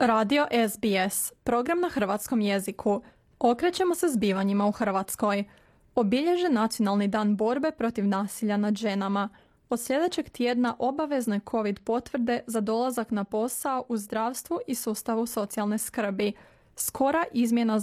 Radio SBS, program na hrvatskom jeziku. Okrećemo se zbivanjima u Hrvatskoj. Obilježen Nacionalni dan borbe protiv nasilja nad ženama. Od sljedećeg tjedna obavezne COVID potvrde za dolazak na posao u zdravstvu i sustavu socijalne skrbi. Skora izmjena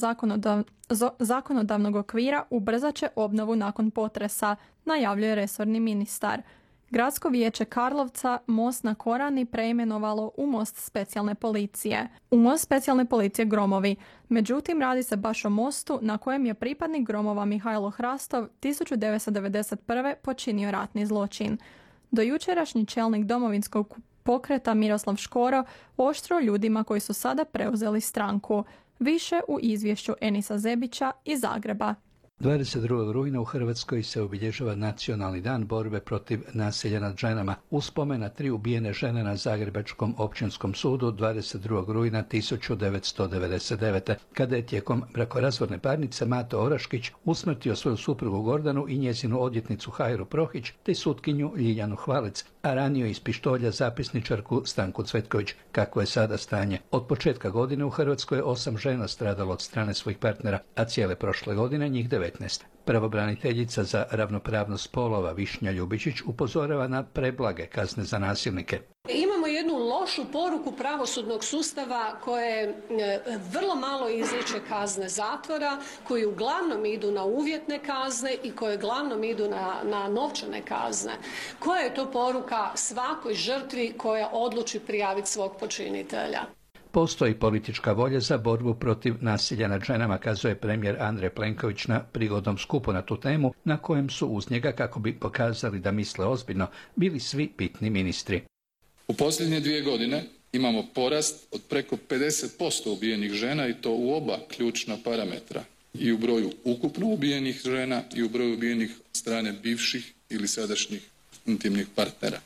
zakonodavnog okvira ubrzat će obnovu nakon potresa, najavljuje resorni ministar. Gradsko vijeće Karlovca most na Korani preimenovalo u most specijalne policije. U most specijalne policije Gromovi. Međutim, radi se baš o mostu na kojem je pripadnik Gromova Mihajlo Hrastov 1991. počinio ratni zločin. Dojučerašnji čelnik Domovinskog pokreta Miroslav Škoro oštro ljudima koji su sada preuzeli stranku. Više u izvješću Enisa Zebića iz Zagreba. 22. rujna u Hrvatskoj se obilježava Nacionalni dan borbe protiv nasilja nad ženama. U spomen na 3 ubijene žene na Zagrebačkom općinskom sudu 22. rujna 1999. kada je tijekom brakorazvodne parnice Mato Oraškić usmrtio svoju suprugu Gordanu i njezinu odvjetnicu Hajru Prohić te sutkinju Ljiljanu Hvalec, a ranio iz pištolja zapisničarku Stanku Cvetković. Kako je sada stanje? Od početka godine u Hrvatskoj je 8 žena stradalo od strane svojih partnera, a cijele prošle godine njih 19. Pravobraniteljica za ravnopravnost spolova Višnja Ljubičić upozorava na preblage kazne za nasilnike. Imamo jednu lošu poruku pravosudnog sustava koje vrlo malo izriče kazne zatvora, koji uglavnom idu na uvjetne kazne i koje uglavnom idu na novčane kazne. Koja je to poruka svakoj žrtvi koja odluči prijaviti svog počinitelja? Postoji politička volja za borbu protiv nasilja nad ženama, kazuje premijer Andrej Plenković na prigodnom skupu na tu temu, na kojem su uz njega, kako bi pokazali da misle ozbiljno, bili svi bitni ministri. U posljednje 2 godine imamo porast od preko 50% ubijenih žena i to u oba ključna parametra. I u broju ukupno ubijenih žena i u broju ubijenih od strane bivših ili sadašnjih intimnih partnera.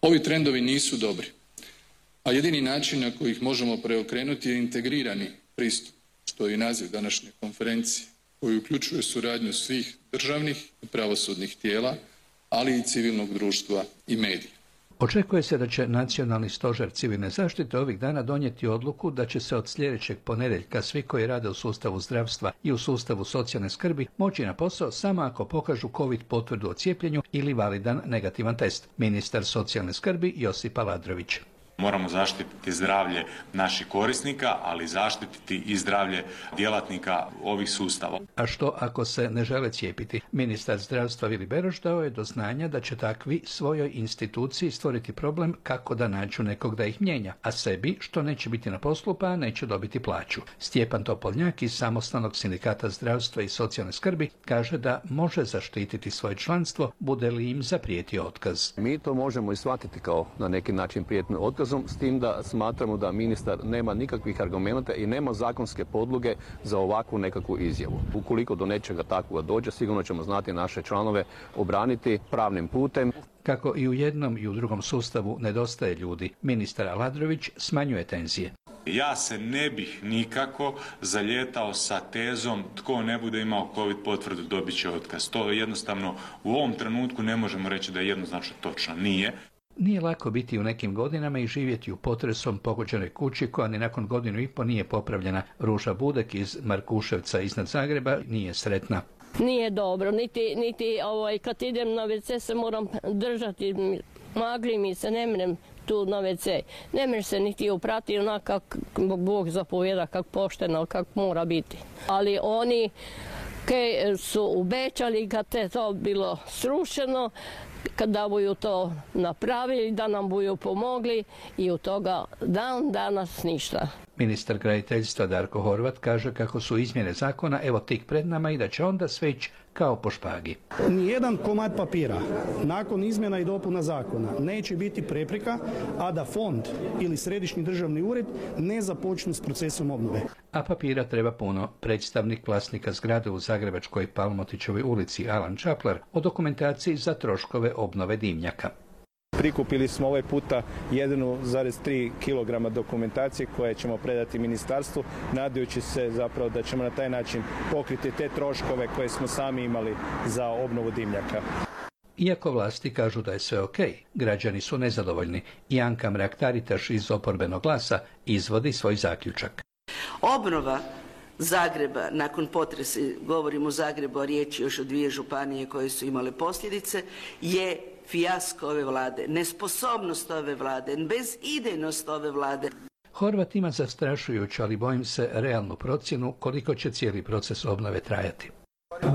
Ovi trendovi nisu dobri. A jedini način na koji ih možemo preokrenuti je integrirani pristup, što je i naziv današnje konferencije, koji uključuje suradnju svih državnih i pravosudnih tijela, ali i civilnog društva i medija. Očekuje se da će Nacionalni stožer civilne zaštite ovih dana donijeti odluku da će se od sljedećeg ponedjeljka svi koji rade u sustavu zdravstva i u sustavu socijalne skrbi moći na posao samo ako pokažu COVID potvrdu o cijepljenju ili validan negativan test. Ministar socijalne skrbi Josip Aladrović. Moramo zaštititi zdravlje naših korisnika, ali zaštititi i zdravlje djelatnika ovih sustava. A što ako se ne žele cijepiti? Ministar zdravstva Vili Beroš dao je do znanja da će takvi svojoj instituciji stvoriti problem kako da nađu nekog da ih mijenja, a sebi što neće biti na poslu pa neće dobiti plaću. Stjepan Topoljnjak iz Samostalnog sindikata zdravstva i socijalne skrbi kaže da može zaštititi svoje članstvo bude li im zaprijetio otkaz. Mi to možemo i shvatiti kao na neki način prijetni otkaz, s tim da smatramo da ministar nema nikakvih argumenata i nema zakonske podloge za ovakvu nekakvu izjavu. Ukoliko do nečega takvoga dođe, sigurno ćemo znati naše članove obraniti pravnim putem. Kako i u jednom i u drugom sustavu nedostaje ljudi, ministar Aladrović smanjuje tenzije. Ja se ne bih nikako zalijetao sa tezom tko ne bude imao COVID potvrdu dobit će otkaz. To jednostavno u ovom trenutku ne možemo reći da je jednoznačno točno. Nije. Nije lako biti u nekim godinama i živjeti u potresom pogođenoj kući koja ni nakon 1,5 godine nije popravljena. Ruža Budek iz Markuševca iznad Zagreba nije sretna. Nije dobro, niti kad idem na WC se moram držati, magli mi se, ne mrem tu na WC. Ne mrem se niti uprati onako kako Bog zapovjeda, kako pošteno, kako mora biti. Ali oni koji su obećali kad je to bilo srušeno, kada budu to napravili, da nam budu pomogli i od toga dan danas ništa. Ministar graditeljstva Darko Horvat kaže kako su izmjene zakona evo tik pred nama i da će onda sve ići kao po špagi. Nijedan komad papira nakon izmjena i dopuna zakona neće biti prepreka, a da fond ili središnji državni ured ne započnu s procesom obnove. A papira treba puno. Predstavnik vlasnika zgrade u Zagrebačkoj Palmotićevoj ulici Alan Čaplar o dokumentaciji za troškove obnove dimnjaka. Prikupili smo ovaj puta 1,3 kg dokumentacije koje ćemo predati ministarstvu, nadajući se zapravo da ćemo na taj način pokriti te troškove koje smo sami imali za obnovu dimnjaka. Iako vlasti kažu da je sve ok, građani su nezadovoljni i Anka Mrak-Taritaš iz Oporbenog glasa izvodi svoj zaključak. Obnova Zagreba nakon potresa, govorim o Zagrebu, a riječ je još o 2 županije koje su imale posljedice, je fijasko ove vlade, nesposobnost ove vlade, bezidejnost ove vlade. Horvat ima zastrašujuću, ali bojim se, realnu procjenu koliko će cijeli proces obnove trajati.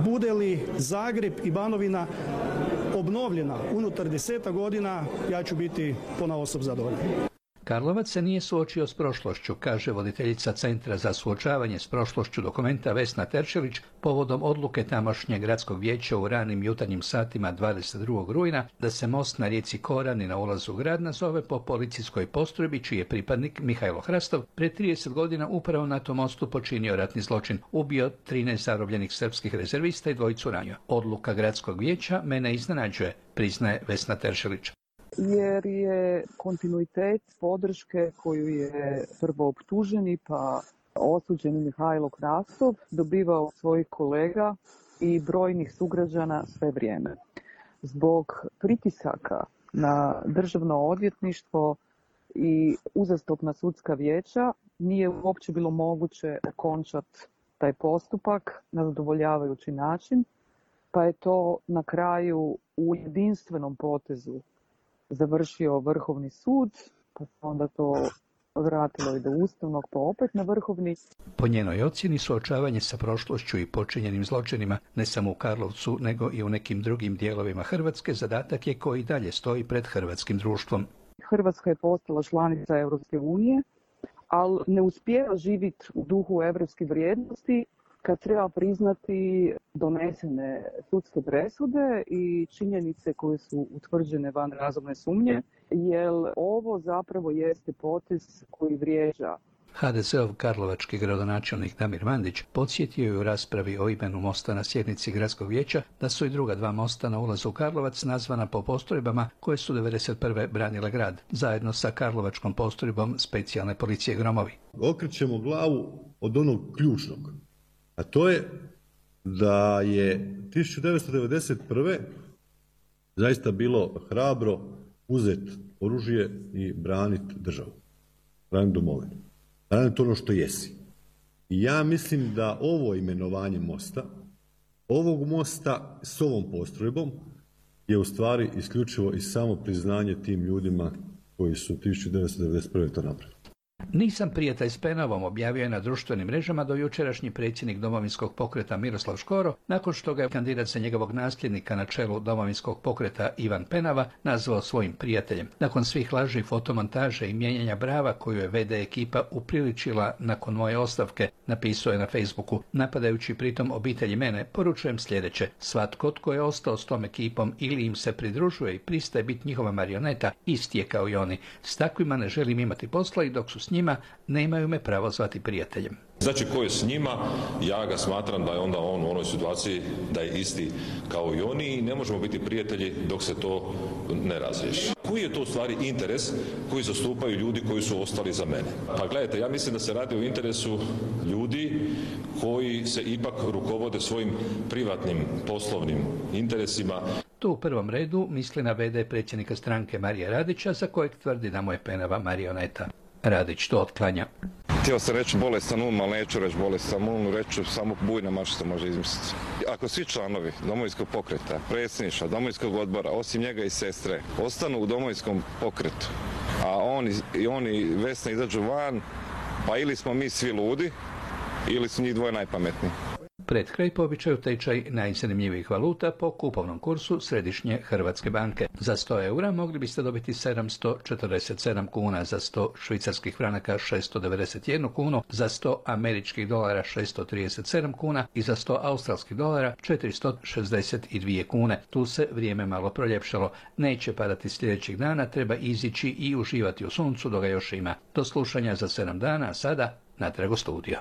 Bude li Zagreb i Banovina obnovljena unutar 10 godina, ja ću biti ponaosob zadovoljan. Karlovac se nije suočio s prošlošću, kaže voditeljica Centra za suočavanje s prošlošću Dokumenta Vesna Terčelić povodom odluke tamošnjeg gradskog vijeća u ranim jutarnjim satima 22. rujna da se most na rijeci Korani na ulazu u grad nazove po policijskoj postrojbi čiji je pripadnik Mihajlo Hrastov pred 30 godina upravo na tom mostu počinio ratni zločin, ubio 13 zarobljenih srpskih rezervista i 2 ranio. Odluka gradskog vijeća mene iznenađuje, priznaje Vesna Terčelić. Jer je kontinuitet podrške koju je prvo optuženi pa osuđeni Mihajlo Hrastov dobivao svojih kolega i brojnih sugrađana sve vrijeme. Zbog pritisaka na državno odvjetništvo i uzastopna sudska vijeća nije uopće bilo moguće okončati taj postupak na zadovoljavajući način, pa je to na kraju u jedinstvenom potezu završio Vrhovni sud, pa se onda to vratilo i do Ustavnog, pa opet na Vrhovni. Po njenoj ocjeni suočavanje sa prošlošću i počinjenim zločinima, ne samo u Karlovcu, nego i u nekim drugim dijelovima Hrvatske, zadatak je koji dalje stoji pred hrvatskim društvom. Hrvatska je postala članica Europske unije, ali ne uspijeva živjeti u duhu europskih vrijednosti kad treba priznati donesene sudske presude i činjenice koje su utvrđene van razumne sumnje, jer ovo zapravo jeste potez koji vrijeđa. HDZ-ov karlovački gradonačelnik Damir Mandić podsjetio je u raspravi o imenu mosta na sjednici gradskog vijeća da su i druga 2 mosta na ulazu u Karlovac nazvana po postrojbama koje su 1991. branile grad, zajedno sa karlovačkom postrojbom specijalne policije Gromovi. Okrećemo glavu od onog ključnog, a to je da je 1991. zaista bilo hrabro uzeti oružje i braniti državu, braniti domovinu, braniti ono što jesi. I ja mislim da ovo imenovanje mosta, ovog mosta s ovom postrojbom, je u stvari isključivo i samo priznanje tim ljudima koji su 1991. to napravili. Nisam prijatelj s Penovom, objavio je na društvenim mrežama do jučerašnji predsjednik Domovinskog pokreta Miroslav Škoro, nakon što ga je kandidat za njegovog nasljednika na čelu Domovinskog pokreta Ivan Penava nazvao svojim prijateljem. Nakon svih laži, fotomontaže i mijenjanja brava koju je VD ekipa upriličila nakon moje ostavke, napisao je na Facebooku, napadajući pritom obitelji mene, poručujem sljedeće: svatko tko je ostao s tom ekipom ili im se pridružuje i pristaje biti njihova marioneta, isti je kao i oni. S takvima ne želim imati posla i dok su s njima, nemaju me pravo zvati prijateljem. Znači, ko je s njima, ja ga smatram da je onda on u onoj situaciji da je isti kao i oni i ne možemo biti prijatelji dok se to ne razriješi. Koji je to u stvari interes koji zastupaju ljudi koji su ostali za mene? Pa gledajte, ja mislim da se radi o interesu ljudi koji se ipak rukovode svojim privatnim poslovnim interesima. Tu u prvom redu misli na VD predsjednika stranke Marija Radića, za kojeg tvrdi da mu je Penava marioneta. Radić to otklanja. Htio sam reći bolestan um, ali neću reći bolestan um, reću samo bujna mašica može izmisliti. Ako svi članovi Domovinskog pokreta, predsjedništva, Domovinskog odbora, osim njega i sestre, ostanu u Domovinskom pokretu, a oni i Vesna izađu van, pa ili smo mi svi ludi, ili su njih dvoje najpametniji. Pred kraj po običaju tečaj najzanimljivijih valuta po kupovnom kursu Središnje Hrvatske banke. Za 100 eura mogli biste dobiti 747 kuna, za 100 švicarskih franaka 691 kunu, za 100 američkih dolara 637 kuna i za 100 australskih dolara 462 kune. Tu se vrijeme malo proljepšalo. Neće padati sljedećih dana, treba izići i uživati u suncu dok ga još ima. Do slušanja za 7 dana, a sada natrag u studio.